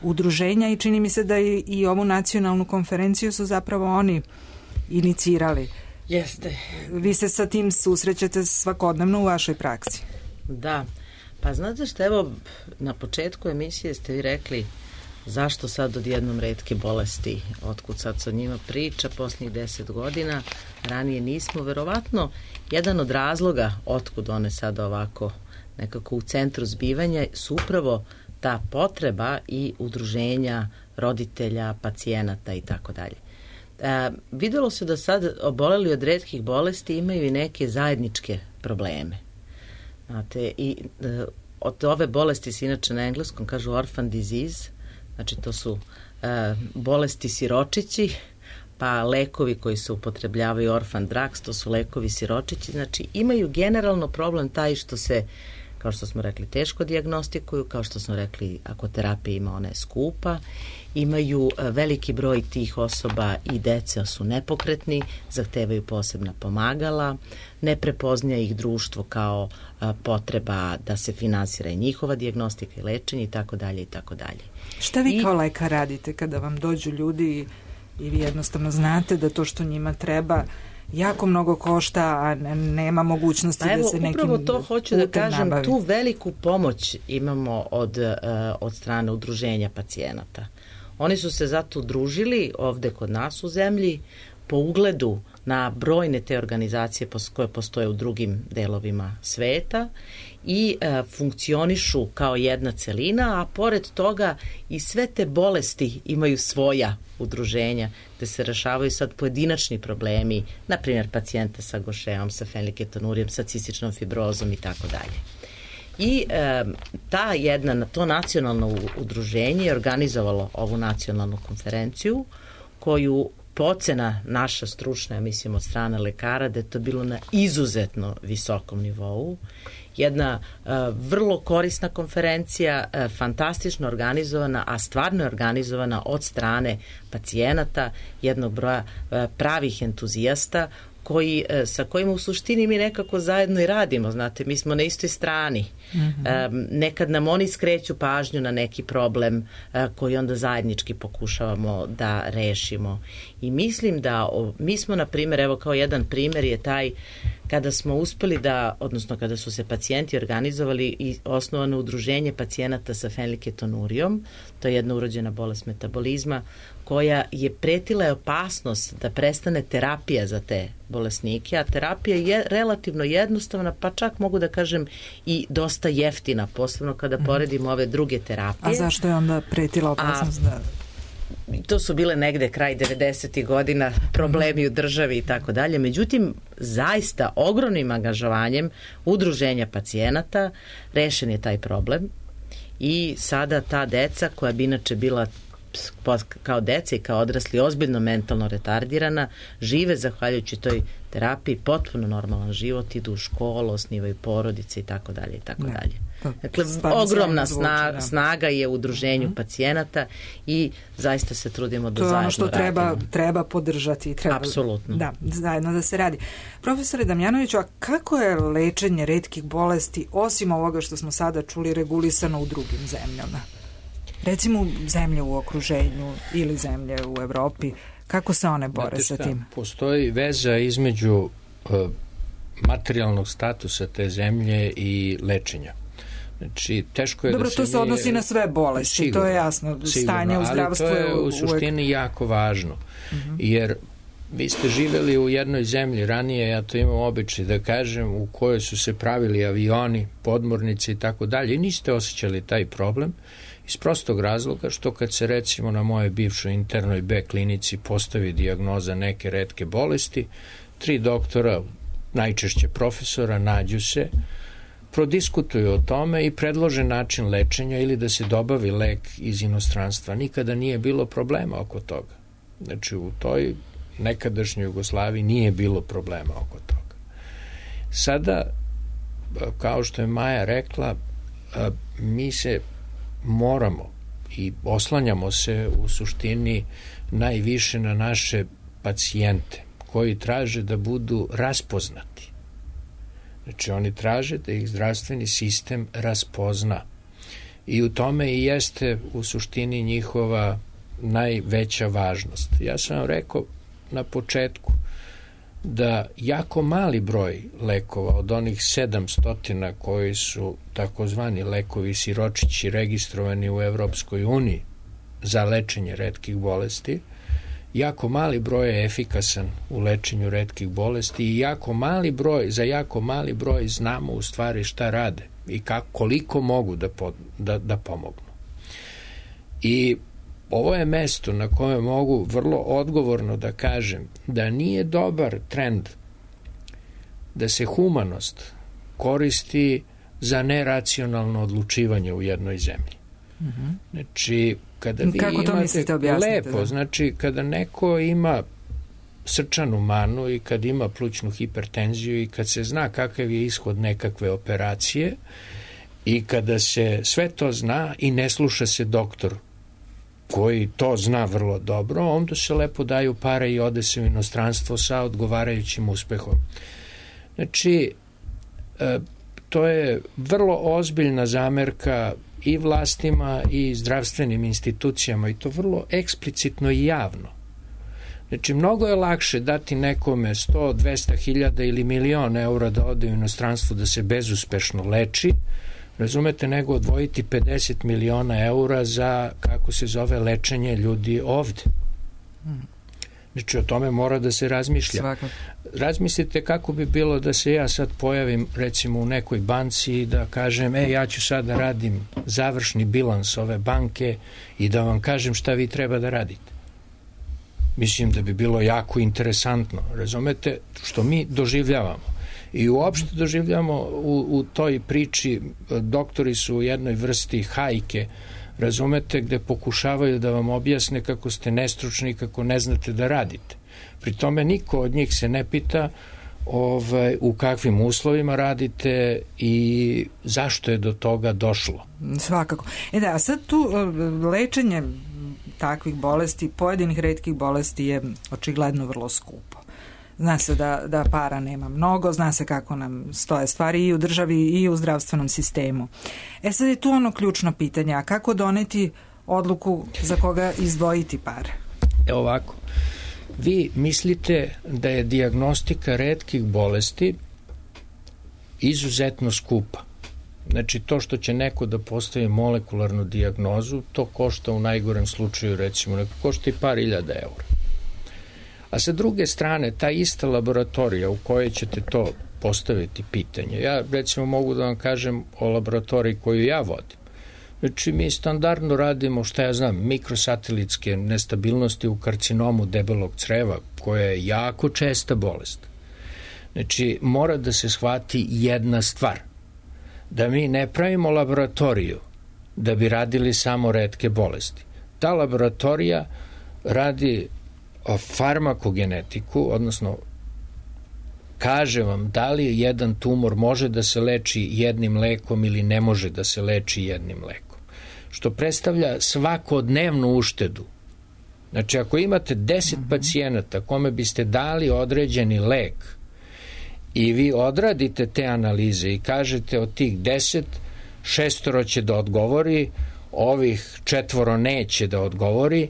udruženja i čini mi se da i ovu nacionalnu konferenciju su zapravo oni inicirali. Jeste. Vi se sa tim susrećete svakodnevno u vašoj praksi. Da. Pa znate što, evo, na početku emisije ste vi rekli zašto sad odjednom retke bolesti, otkud sad sa njima priča posljednjih 10 godina, ranije nismo, verovatno jedan od razloga otkud one sad ovako nekako u centru zbivanja su upravo ta potreba i udruženja roditelja, pacijenata i tako dalje. Videlo se da sad oboleli od retkih bolesti imaju i neke zajedničke probleme. Znate, i od ove bolesti se inače na engleskom kažu orphan disease, znači to su bolesti siročići, pa lekovi koji se upotrebljavaju orphan drugs, to su lekovi siročići, znači imaju generalno problem taj što se, kao što smo rekli, teško dijagnostikuju, kao što smo rekli, ako terapija ima, ona je skupa, imaju veliki broj tih osoba i dece su nepokretni, zahtevaju posebna pomagala, ne prepoznja ih društvo kao potreba da se finansira i njihova dijagnostika i lečenje i tako dalje i tako dalje. Šta vi kao lekar radite kada vam dođu ljudi i vi jednostavno znate da to što njima treba jako mnogo košta, a nema mogućnosti da se nekim upravo to hoću da kažem, nabavi. Tu veliku pomoć imamo od strane udruženja pacijenata. Oni su se zato udružili ovde kod nas u zemlji po ugledu na brojne te organizacije koje postoje u drugim delovima sveta i funkcionišu kao jedna celina, a pored toga i sve te bolesti imaju svoja udruženja gde se rešavaju sad pojedinačni problemi, na primjer pacijenta sa gošeom, sa fenilketonurijem, sa cističnom fibrozom i tako dalje. I to nacionalno udruženje je organizovalo ovu nacionalnu konferenciju koju procena naša stručna, ja mislim od strane lekara, da je to bilo na izuzetno visokom nivou. Jedna vrlo korisna konferencija, fantastično organizovana, a stvarno je organizovana od strane pacijenata, jednog broja pravih entuzijasta, sa kojima u suštini mi nekako zajedno i radimo, znate, mi smo na istoj strani. Nekad nam oni skreću pažnju na neki problem koji onda zajednički pokušavamo da rešimo. I mislim da mi smo, na primjer, evo kao jedan primjer je taj kada smo uspeli odnosno kada su se pacijenti organizovali i osnovano udruženje pacijenata sa fenilketonurijom, to je jedna urođena bolest metabolizma, koja je pretila opasnost da prestane terapija za te bolesnike, a terapija je relativno jednostavna, pa čak mogu da kažem i dosta jeftina, posebno kada poredimo ove druge terapije. A zašto je onda pretila opasnost da... To su bile negde kraj 90. godina problemi u državi i tako dalje. Međutim, zaista ogromnim angažovanjem udruženja pacijenata rešen je taj problem i sada ta deca koja bi inače bila kao deca i kao odrasli ozbiljno mentalno retardirana, žive zahvaljujući toj terapiji potpuno normalan život, idu u školu, osnivaju porodice i tako dalje i tako dalje. Dakle, ogromna snaga je u udruženju pacijenata i zaista se trudimo da zajedno radimo. To je ono što treba podržati. Apsolutno. Da, zajedno da se radi. Profesore Damjanoviću, a kako je lečenje retkih bolesti, osim ovoga što smo sada čuli, regulisano u drugim zemljama? Recimo zemlje u okruženju ili zemlje u Evropi, kako se one bore sa tim? Postoji veza između materijalnog statusa te zemlje i lečenja. Znači, teško je dobro, to se odnosi na sve bolesti, sigurno, to je jasno. Stanje u zdravstvu je ali to je u suštini jako važno, jer vi ste živjeli u jednoj zemlji ranije, ja to imam običaj da kažem, u kojoj su se pravili avioni, podmornice i tako dalje i niste osjećali taj problem iz prostog razloga što kad se recimo na moje bivšoj internoj B klinici postavi dijagnoza neke retke bolesti, 3 doktora, najčešće profesora, nađu se, prodiskutuju o tome i predlože način lečenja ili da se dobavi lek iz inostranstva. Nikada nije bilo problema oko toga. Znači u toj nekadašnjoj Jugoslaviji nije bilo problema oko toga. Sada, kao što je Maja rekla, mi se moramo i oslanjamo se u suštini najviše na naše pacijente koji traže da budu raspoznati. Znači oni traže da ih zdravstveni sistem raspozna i u tome i jeste u suštini njihova najveća važnost. Ja sam vam rekao na početku, da jako mali broj lekova od onih 700 koji su takozvani lekovi siročići registrovani u Evropskoj uniji za lečenje retkih bolesti, jako mali broj je efikasan u lečenju retkih bolesti i za jako mali broj znamo u stvari šta rade i koliko mogu da pomognu. I ovo je mesto na kojem mogu vrlo odgovorno da kažem da nije dobar trend da se humanost koristi za neracionalno odlučivanje u jednoj zemlji. Znači, kada vi kako to mislite, objasnite? Lepo, znači, kada neko ima srčanu manu i kad ima plućnu hipertenziju i kad se zna kakav je ishod nekakve operacije i kada se sve to zna i ne sluša se doktor koji to zna vrlo dobro, onda se lepo daju pare i ode se u inostranstvo sa odgovarajućim uspehom. Znači, to je vrlo ozbiljna zamerka i vlastima i zdravstvenim institucijama i to vrlo eksplicitno i javno. Znači, mnogo je lakše dati nekome 100, 200 hiljada ili milion eura da ode u inostranstvo da se bezuspešno leči, razumete, nego odvojiti 50 miliona eura za, kako se zove, lečenje ljudi ovde. Znači, o tome mora da se razmišlja. Svakako. Razmislite kako bi bilo da se ja sad pojavim, recimo, u nekoj banci i da kažem, ja ću sad da radim završni bilans ove banke i da vam kažem šta vi treba da radite. Mislim da bi bilo jako interesantno, razumete, što mi doživljavamo. I uopšte doživljamo u toj priči, doktori su u jednoj vrsti hajke, razumete, gde pokušavaju da vam objasne kako ste nestručni i kako ne znate da radite. Pri tome niko od njih se ne pita u kakvim uslovima radite i zašto je do toga došlo. Svakako. A sad tu lečenje takvih bolesti, pojedinih retkih bolesti je očigledno vrlo skupo. Zna se da para nema mnogo, zna se kako nam stoje stvari i u državi i u zdravstvenom sistemu. Sad je tu ono ključno pitanje, a kako doneti odluku za koga izdvojiti pare? Ovako, vi mislite da je dijagnostika retkih bolesti izuzetno skupa. Znači, to što će neko da postavi molekularnu dijagnozu, to košta u najgorem slučaju, recimo, neko košta i par hiljada eura. A sa druge strane, ta ista laboratorija u kojoj ćete to postaviti pitanje, ja recimo mogu da vam kažem o laboratoriji koju ja vodim. Znači, mi standardno radimo, šta ja znam, mikrosatelitske nestabilnosti u karcinomu debelog creva, koja je jako česta bolest. Znači, mora da se shvati jedna stvar, da mi ne pravimo laboratoriju da bi radili samo retke bolesti. Ta laboratorija radi farmakogenetiku, odnosno kaže vam da li jedan tumor može da se leči jednim lekom ili ne može da se leči jednim lekom. Što predstavlja svakodnevnu uštedu. Znači, ako imate 10 pacijenata kome biste dali određeni lek i vi odradite te analize i kažete od tih 10, 6 će da odgovori, ovih 4 neće da odgovori,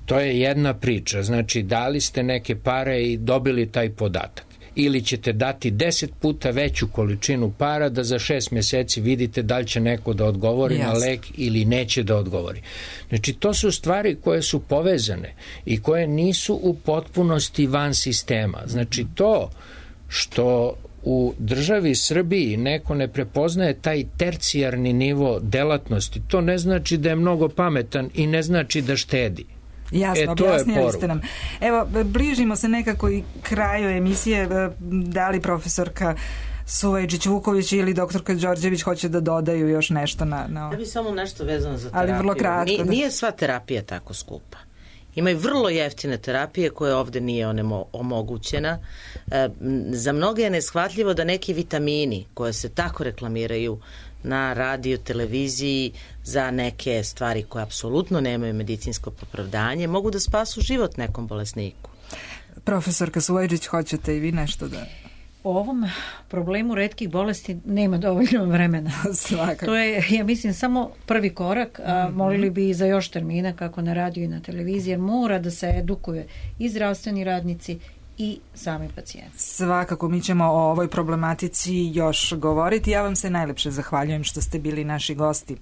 to je jedna priča. Znači, dali ste neke pare i dobili taj podatak. Ili ćete dati 10 puta veću količinu para da za 6 meseci vidite da li će neko da odgovori na lek ili neće da odgovori. Znači, to su stvari koje su povezane i koje nisu u potpunosti van sistema. Znači, to što u državi Srbiji neko ne prepoznaje taj tercijarni nivo delatnosti, to ne znači da je mnogo pametan i ne znači da štedi. Jasno, objasnili ste nam. Evo, bližimo se nekako i kraju emisije. Da li profesorka Suvajčić-Vuković ili doktorka Đorđević hoće da dodaju još nešto na... Ja bih samo nešto vezano za terapiju. Ali vrlo kratko. Nije sva terapija tako skupa. Ima i vrlo jeftine terapije koje ovde nije omogućena. Za mnoge je neshvatljivo da neki vitamini koje se tako reklamiraju na radio, televiziji za neke stvari koje apsolutno nemaju medicinsko opravdanje mogu da spasu život nekom bolesniku. Profesorka Suvajčić, hoćete i vi nešto da... O ovom problemu retkih bolesti nema dovoljno vremena. Svakako. To je, ja mislim, samo prvi korak, a molili bi i za još termina kako na radiju i na televiziji, jer mora da se edukuje i zdravstveni radnici i sami pacijenti. Svakako mi ćemo o ovoj problematici još govoriti. Ja vam se najlepše zahvaljujem što ste bili naši gosti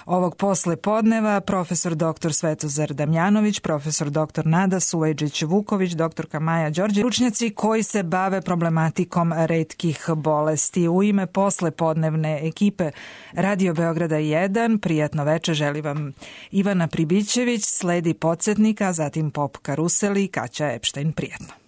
ovog posle podneva. Profesor dr. Svetozar Damjanović, profesor dr. Nada Suvajđić-Vuković, doktorka Maja Đorđe, stručnjaci koji se bave problematikom retkih bolesti. U ime posle podnevne ekipe Radio Beograda 1, prijatno veče želi vam Ivana Pribićević, sledi Podsjetnika, zatim Pop Karuseli i Kaća Epštajn. Prijatno.